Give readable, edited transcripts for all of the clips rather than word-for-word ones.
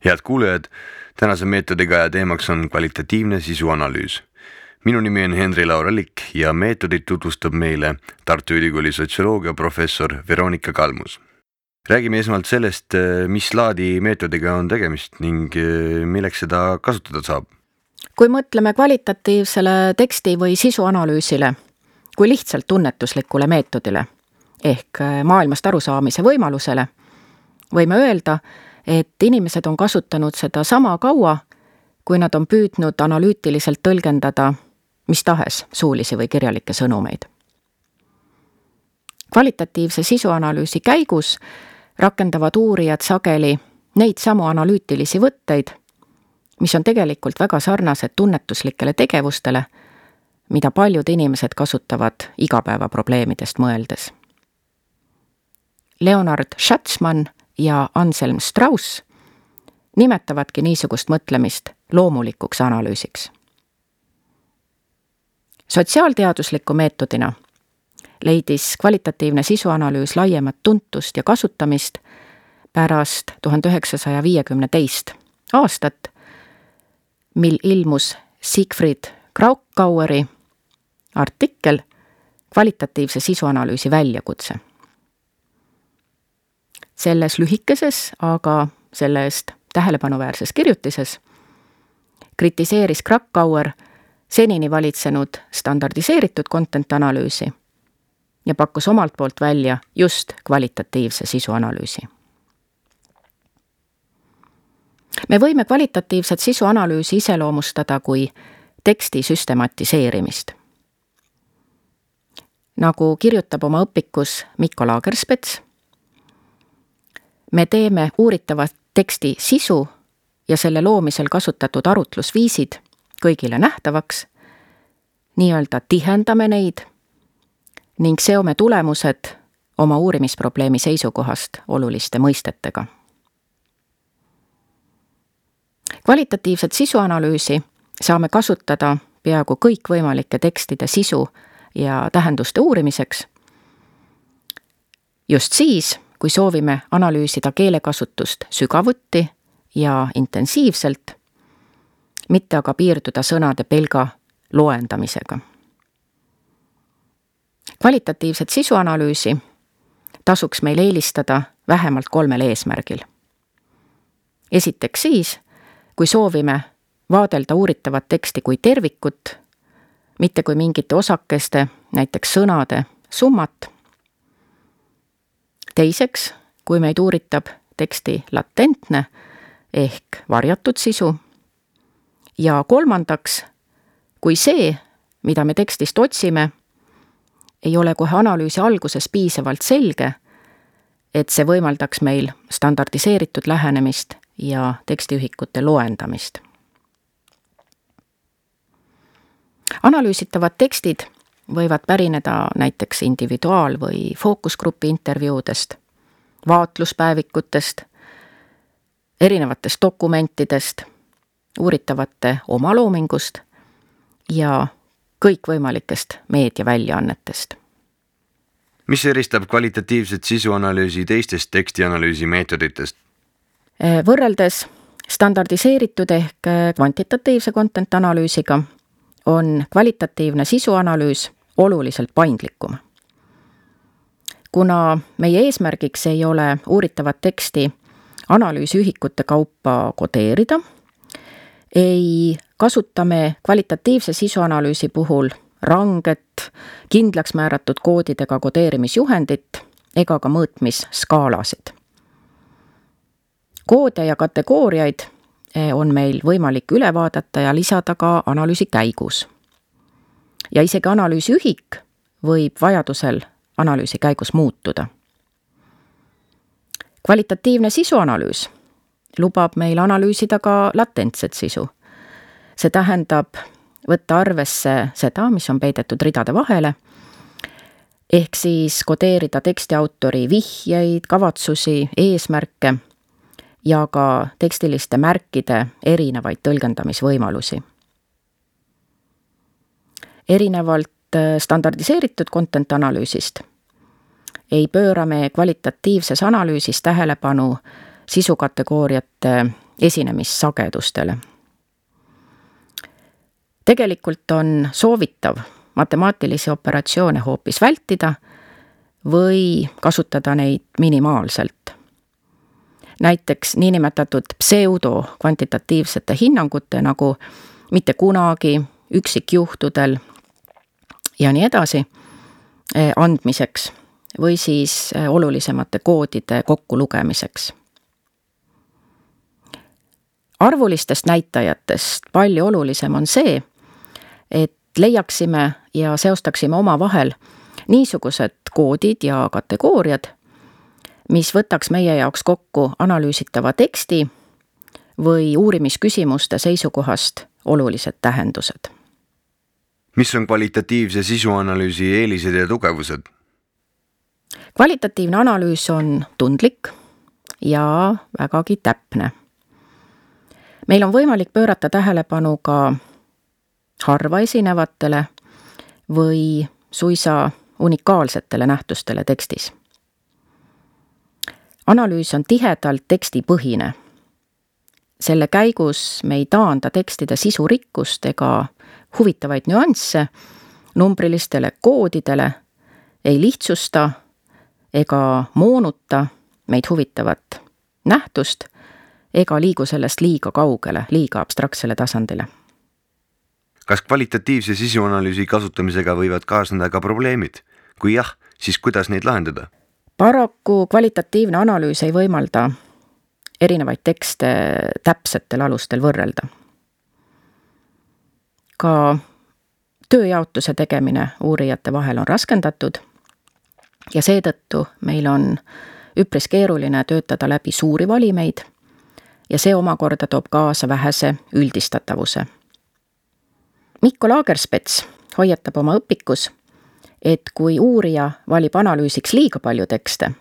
Head kuulajad, tänase meetodiga ja teemaks on kvalitatiivne sisuanalüüs. Minu nimi on Henri Lauralik ja meetodit tutvustab meile Tartu Ülikooli sotsioloogia professor Veronika Kalmus. Räägime esmalt sellest, mis laadi meetodiga on tegemist ning milleks seda kasutada saab. Kui mõtleme kvalitatiivsele teksti või sisuanalüüsile kui lihtsalt tunnetuslikule meetodile ehk maailmast arusaamise võimalusele, võime öelda, et inimesed on kasutanud seda sama kaua, kui nad on püüdnud analüütiliselt tõlgendada mis tahes suulisi või kirjalikke sõnumeid. Kvalitatiivse sisuanalüüsi käigus rakendavad uurijad sageli neid samu analüütilisi võtteid, mis on tegelikult väga sarnased tunnetuslikele tegevustele, mida paljud inimesed kasutavad igapäevaprobleemidest mõeldes. Leonard Schatzman ja Anselm Strauss nimetavadki niisugust mõtlemist loomulikuks analüüsiks. Sotsiaalteadusliku meetodina leidis kvalitatiivne sisuanalüüs laiemat tuntust ja kasutamist pärast 1952. aastat, mil ilmus Siegfried Kraukauri artikkel kvalitatiivse sisuanalüüsi väljakutse. Selles lühikeses, aga selle eest tähelepanuväärses kirjutises kritiseeris Krakauer senini valitsenud standardiseeritud content-analüüsi ja pakkus omalt poolt välja just kvalitatiivse sisuanalüüsi. Me võime kvalitatiivset sisuanalüüsi iseloomustada kui teksti süstematiseerimist. Nagu kirjutab oma õpikus Mikko Lagerspets, me teeme uuritava teksti sisu ja selle loomisel kasutatud arutlusviisid kõigile nähtavaks, nii-öelda tihendame neid ning seome tulemused oma uurimisprobleemi seisukohast oluliste mõistetega. Kvalitatiivset sisuanalüüsi saame kasutada peaaegu kõikvõimalike tekstide sisu ja tähenduste uurimiseks, just siis, kui soovime analüüsida keelekasutust sügavuti ja intensiivselt, mitte aga piirduda sõnade pelga loendamisega. Kvalitatiivset sisuanalüüsi tasuks meil eelistada vähemalt 3 eesmärgil. Esiteks siis, kui soovime vaadelda uuritavat teksti kui tervikut, mitte kui mingite osakeste, näiteks sõnade, summat. Teiseks, kui meid uuritab teksti latentne ehk varjatud sisu. Ja kolmandaks, kui see, mida me tekstist otsime, ei ole kohe analüüsi alguses piisavalt selge, et see võimaldaks meil standardiseeritud lähenemist ja tekstiühikute loendamist. Analüüsitavad tekstid võivad pärineda näiteks individuaal- või fookusgrupi intervjuudest, vaatluspäevikutest, erinevatest dokumentidest, uuritavate omaloomingust ja kõikvõimalikest meediaväljaannetest. Mis eristab kvalitatiivset sisuanalüüsi teistest tekstianalüüsi meetoditest? Võrreldes standardiseeritud ehk kvantitatiivse content-analüüsiga on kvalitatiivne sisuanalüüs oluliselt paindlikum. Kuna meie eesmärgiks ei ole uuritavat teksti analüüsiühikute kaupa kodeerida, ei kasutame kvalitatiivse sisuanalüüsi puhul ranget, kindlaks määratud koodidega kodeerimisjuhendit ega ka mõõtmisskaalasid. Koode ja kategooriaid on meil võimalik üle vaadata ja lisada ka analüüsi käigus. Ja isegi analüüsiühik võib vajadusel analüüsi käigus muutuda. Kvalitatiivne sisuanalüüs lubab meil analüüsida ka latentset sisu. See tähendab võtta arvesse seda, mis on peidetud ridade vahele, ehk siis kodeerida tekstiautori vihjeid, kavatsusi, eesmärke ja ka tekstiliste märkide erinevaid tõlgendamisvõimalusi. Erinevalt standardiseeritud content-analüüsist ei pööra me kvalitatiivses analüüsis tähelepanu sisukategooriate esinemissagedustele. Tegelikult on soovitav matemaatilisi operatsioone hoopis vältida või kasutada neid minimaalselt. Näiteks niinimetatud pseudokvantitatiivsete hinnangute nagu mitte kunagi, üksikjuhtudel ja nii edasi andmiseks või siis olulisemate koodide kokkulugemiseks. Arvulistest näitajatest palju olulisem on see, et leiaksime ja seostaksime omavahel niisugused koodid ja kategooriad, mis võtaks meie jaoks kokku analüüsitava teksti või uurimisküsimuste seisukohast olulised tähendused. Mis on kvalitatiivse sisuanalüüsi eelised ja tugevused? Kvalitatiivne analüüs on tundlik ja vägagi täpne. Meil on võimalik pöörata tähelepanu ka harva esinevatele või suisa unikaalsetele nähtustele tekstis. Analüüs on tihedalt tekstipõhine. Selle käigus me ei taanda tekstide sisurikkust ega huvitavaid nüansse numbrilistele koodidele, ei lihtsusta ega moonuta meid huvitavat nähtust ega liigu sellest liiga kaugele, liiga abstraktsele tasandile. Kas kvalitatiivse sisuanalüüsi kasutamisega võivad kaasneda ka probleemid? Kui jah, siis kuidas neid lahendada? Paraku kvalitatiivne analüüs ei võimalda erinevaid tekste täpsetel alustel võrrelda. Ka tööjaotuse tegemine uurijate vahel on raskendatud ja seetõttu meil on üpris keeruline töötada läbi suuri valimeid ja see omakorda toob kaasa vähese üldistatavuse. Mikko Lagerspets hoiatab oma õpikus, et kui uurija valib analüüsiks liiga palju tekste,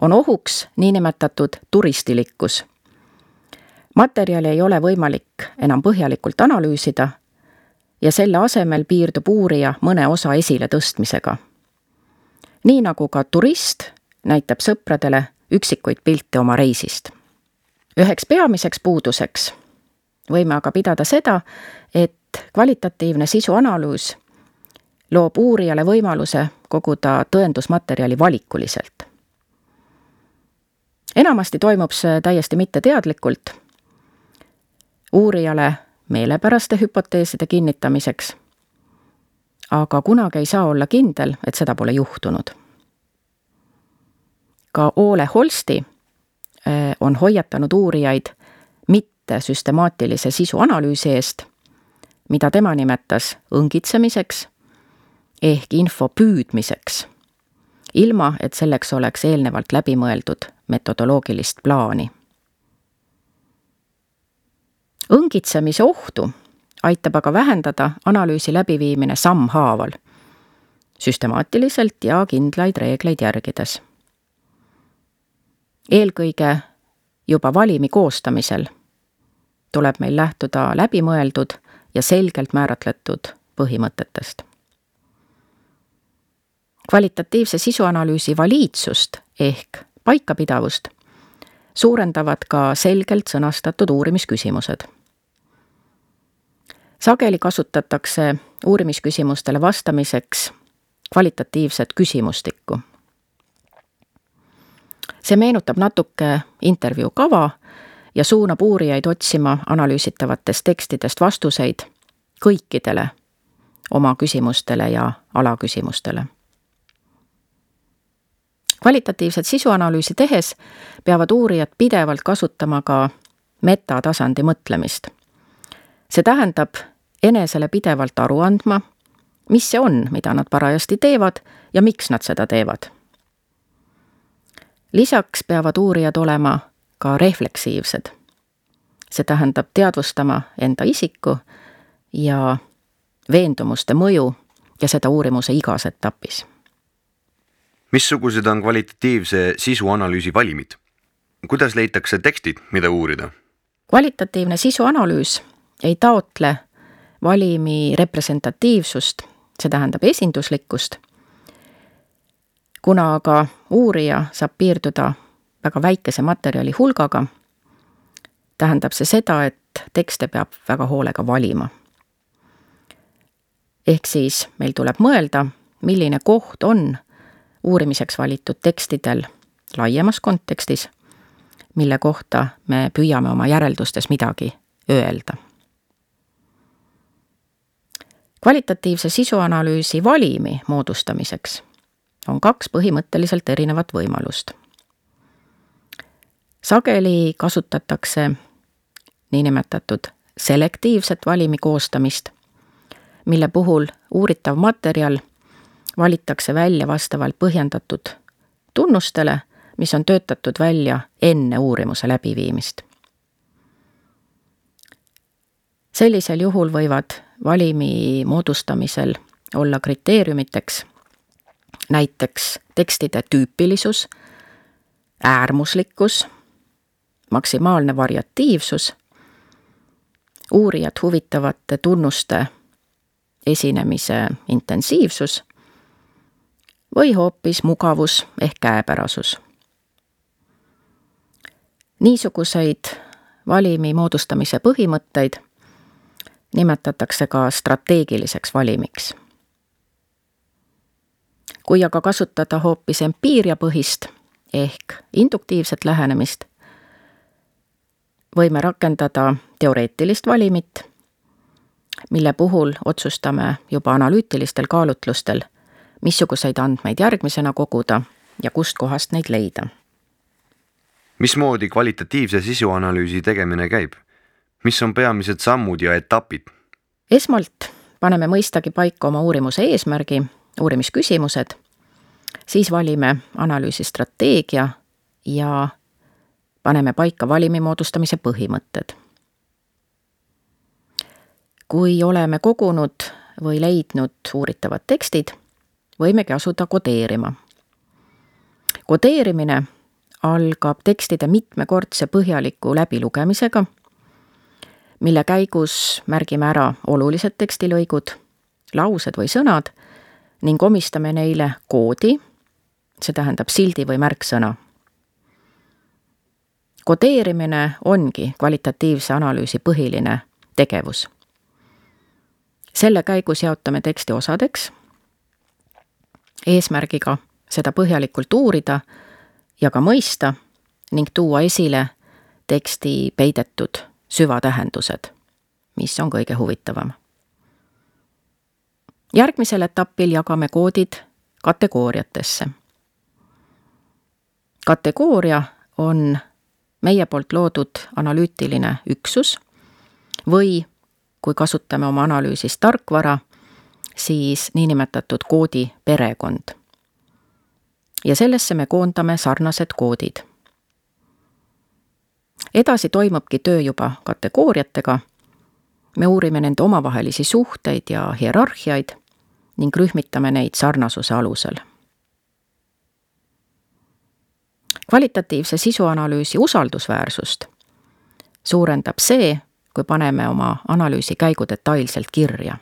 on ohuks niinimetatud turistilikkus. Materjali ei ole võimalik enam põhjalikult analüüsida ja selle asemel piirdub uurija mõne osa esile tõstmisega. Nii nagu ka turist näitab sõpradele üksikuid pilte oma reisist. Üheks peamiseks puuduseks võime aga pidada seda, et kvalitatiivne sisuanalüüs loob uurijale võimaluse koguda tõendusmaterjali valikuliselt. Enamasti toimub see täiesti mitteteadlikult, uurijale meelepäraste hüpoteeside kinnitamiseks, aga kunagi ei saa olla kindel, et seda pole juhtunud. Ka Ole Holsti on hoiatanud uurijaid mitte süstemaatilise sisuanalüüsi eest, mida tema nimetas õngitsemiseks ehk info püüdmiseks, ilma et selleks oleks eelnevalt läbimõeldud metodoloogilist plaani. Õngitsemise ohtu aitab aga vähendada analüüsi läbiviimine sammhaaval, süstemaatiliselt ja kindlaid reegleid järgides. Eelkõige juba valimi koostamisel tuleb meil lähtuda läbimõeldud ja selgelt määratletud põhimõtetest. Kvalitatiivse sisuanalüüsi valiidsust ehk paikapidavust suurendavad ka selgelt sõnastatud uurimisküsimused. Sageli kasutatakse uurimisküsimustele vastamiseks kvalitatiivset küsimustikku. See meenutab natuke intervjuu kava ja suunab uurijaid otsima analüüsitavatest tekstidest vastuseid kõikidele oma küsimustele ja alaküsimustele. Kvalitatiivset sisuanalüüsi tehes peavad uurijad pidevalt kasutama ka metatasandi mõtlemist. See tähendab enesele pidevalt aru andma, mis see on, mida nad parajasti teevad ja miks nad seda teevad. Lisaks peavad uurijad olema ka refleksiivsed. See tähendab teadvustama enda isiku ja veendumuste mõju ja seda uurimuse igas etapis. Missugused on kvalitatiivse sisuanalüüsi valimid? Kuidas leitakse tekstid, mida uurida? Kvalitatiivne sisuanalüüs ei taotle valimi representatiivsust, see tähendab esinduslikkust. Kuna aga uurija saab piirduda väga väikese materjali hulgaga, tähendab see seda, et tekste peab väga hoolega valima. Ehk siis meil tuleb mõelda, milline koht on uurimiseks valitud tekstidel laiemas kontekstis, mille kohta me püüame oma järeldustes midagi öelda. Kvalitatiivse sisuanalüüsi valimi moodustamiseks on 2 põhimõtteliselt erinevat võimalust. Sageli kasutatakse niinimetatud selektiivset valimi koostamist, mille puhul uuritav materjal valitakse välja vastavalt põhjendatud tunnustele, mis on töötatud välja enne uurimuse läbiviimist. Sellisel juhul võivad valimi moodustamisel olla kriteeriumiteks näiteks tekstide tüüpilisus, äärmuslikkus, maksimaalne variatiivsus, uurijat huvitavate tunnuste esinemise intensiivsus või hoopis mugavus ehk käepärasus. Niisuguseid valimi moodustamise põhimõtteid nimetatakse ka strateegiliseks valimiks. Kui aga kasutada hoopis empiiriapõhist ehk induktiivset lähenemist, võime rakendada teoreetilist valimit, mille puhul otsustame juba analüütilistel kaalutlustel, missuguseid andmeid järgmisena koguda ja kust kohast neid leida. Mismoodi kvalitatiivse sisuanalüüsi tegemine käib? Mis on peamised sammud ja etapid? Esmalt paneme mõistagi paika oma uurimuse eesmärgi, uurimisküsimused, siis valime analüüsi strateegia ja paneme paika valimi moodustamise põhimõtted. Kui oleme kogunud või leidnud uuritavad tekstid, võimegi asuda kodeerima. Kodeerimine algab tekstide mitmekordse põhjaliku läbilugemisega, mille käigus märgime ära olulised tekstilõigud, laused või sõnad ning omistame neile koodi, see tähendab sildi või märksõna. Kodeerimine ongi kvalitatiivse analüüsi põhiline tegevus. Selle käigus jaotame teksti osadeks, eesmärgiga seda põhjalikult uurida ja ka mõista ning tuua esile teksti peidetud süvatähendused, mis on kõige huvitavam. Järgmisel etapil jagame koodid kategooriatesse. Kategooria on meie poolt loodud analüütiline üksus või kui kasutame oma analüüsis tarkvara, siis niinimetatud koodi perekond. Ja sellesse me koondame sarnased koodid. Edasi toimubki töö juba kategooriatega. Me uurime nende omavahelisi suhteid ja hierarhiaid ning rühmitame neid sarnasuse alusel. Kvalitatiivse sisuanalüüsi usaldusväärsust suurendab see, kui paneme oma analüüsi käigu detailselt kirja.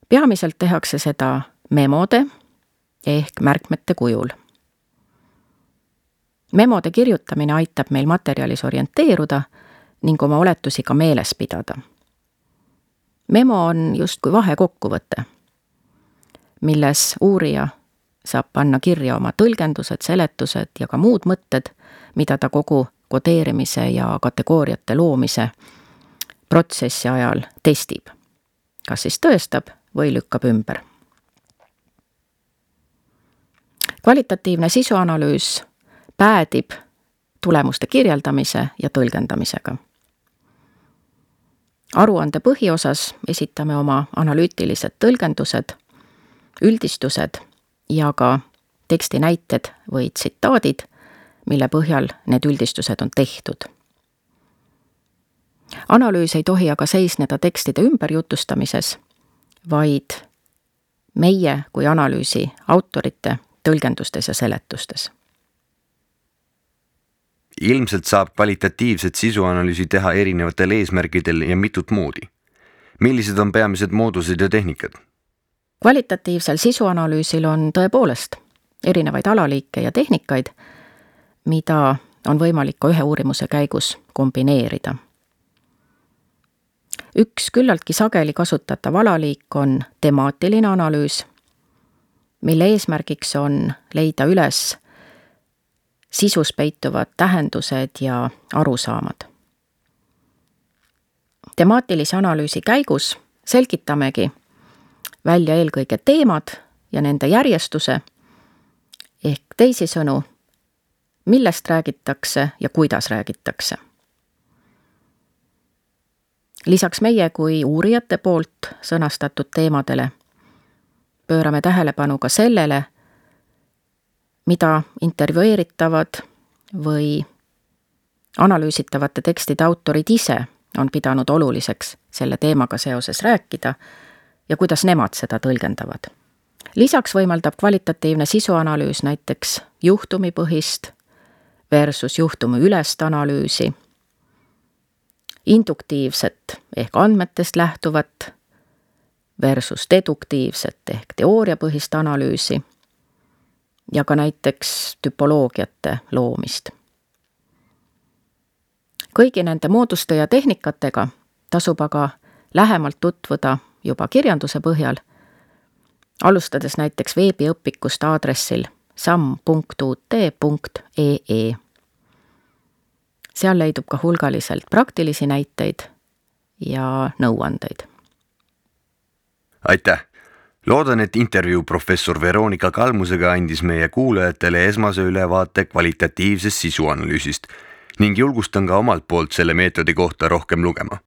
Peamiselt tehakse seda memode ehk märkmete kujul. Memode kirjutamine aitab meil materjalis orienteeruda ning oma oletusi ka meeles pidada. Memo on justkui vahekokkuvõte, milles uurija saab panna kirja oma tõlgendused, seletused ja ka muud mõtted, mida ta kogu kodeerimise ja kategooriate loomise protsessi ajal testib. Kas siis tõestab või lükkab ümber. Kvalitatiivne sisuanalüüs päädib tulemuste kirjeldamise ja tõlgendamisega. Aruande põhiosas esitame oma analüütilised tõlgendused, üldistused ja ka teksti näited või tsitaadid, mille põhjal need üldistused on tehtud. Analüüs ei tohi aga seisneda tekstide ümberjutustamises, vaid meie kui analüüsi autorite tõlgendustes ja seletustes. Ilmselt saab kvalitatiivset sisuanalüüsi teha erinevatel eesmärkidel ja mitut moodi. Millised on peamised moodused ja tehnikad? Kvalitatiivsel sisuanalüüsil on tõepoolest erinevaid alaliike ja tehnikaid, mida on võimalik ka ühe uurimuse käigus kombineerida. Üks küllaltki sageli kasutatav alaliik on temaatiline analüüs, mille eesmärgiks on leida üles sisus peituvad tähendused ja arusaamad. Temaatilise analüüsi käigus selgitamegi välja eelkõige teemad ja nende järjestuse, ehk teisisõnu, millest räägitakse ja kuidas räägitakse. Lisaks meie kui uurijate poolt sõnastatud teemadele pöörame tähelepanu ka sellele, mida intervjueeritavad või analüüsitavate tekstide autorid ise on pidanud oluliseks selle teemaga seoses rääkida ja kuidas nemad seda tõlgendavad. Lisaks võimaldab kvalitatiivne sisuanalüüs näiteks juhtumipõhist versus juhtumi ülest analüüsi, induktiivset ehk andmetest lähtuvat versus deduktiivset ehk teooriapõhist analüüsi ja ka näiteks tüpoloogiate loomist. Kõigi nende mooduste ja tehnikatega tasub aga lähemalt tutvuda juba kirjanduse põhjal, alustades näiteks veebiõpikust aadressil sam.ut.ee. Seal leidub ka hulgaliselt praktilisi näiteid ja nõuandeid. Aitäh! Loodan, et intervjuu professor Veronika Kalmusega andis meie kuulajatele esmase ülevaate kvalitatiivsest sisuanalüüsist ning julgustan ka omalt poolt selle meetodi kohta rohkem lugema.